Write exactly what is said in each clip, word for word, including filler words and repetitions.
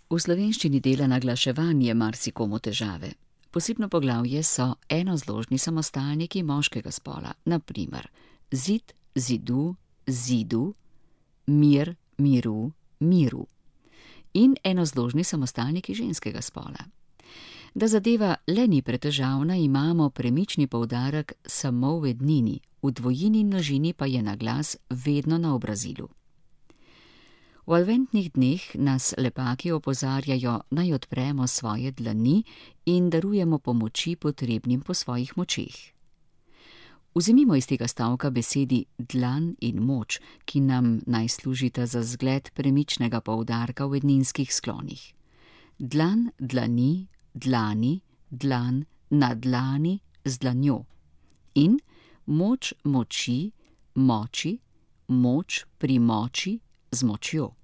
V slovenščini dela naglaševanje marsikomu težave. Posebno poglavje so enozložni samostalniki moškega spola, na primer zid, zidu, zidu, mir, miru, miru. In enozložni samostalniki ženskega spola. Da zadeva le ni pretežavna, imamo premični poudarek samo v ednini, v dvojini in množini pa je naglas vedno na obrazilu. V adventnih dneh nas lepaki opozarjajo, naj odpremo svoje dlani in darujemo pomoči potrebnim po svojih močeh. Vzemimo iz tega stavka besedi dlan in moč, ki nam naj služita za zgled premičnega poudarka v edninskih sklonih. Dlan, dlani, dlani, dlan, na dlani, z dlanjo. In moč, moči, moči, moč pri moči, z močjo.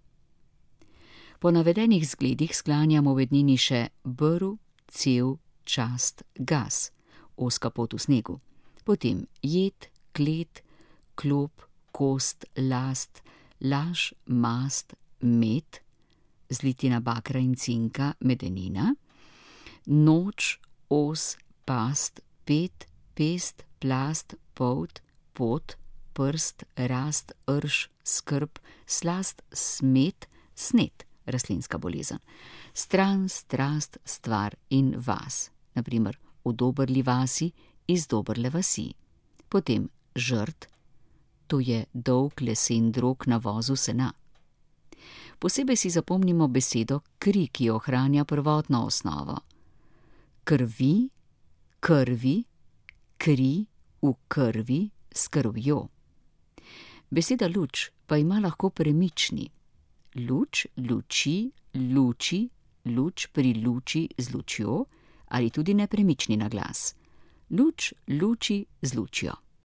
Po navedenih zgledih sklanjamo v ednini še brv, cev, čast, gas, ozka pot v snegu. Potem jed, klet, klop, kost, last, laž, mast, med, zlitina bakra in cinka, medenina, noč, os, past, pet, pest, plast, polt, pot, prst, rast, rž, skrb, slast, smet, snet, rastlinska bolezen, stran, strast, stvar in vas, na primer v Dobrli vasi, iz Dobrle vasi. Potem žrt, to je dolg lesen drog na vozu sena. Posebej si zapomnimo besedo kri, ki ohranja prvotno osnovo. Krvi, krvi, kri, v krvi, s krvjo. Beseda luč pa ima lahko premični. Luč, luči, luči, luč pri luči z lučjo ali tudi nepremični naglas. Luč, luči z lučjo.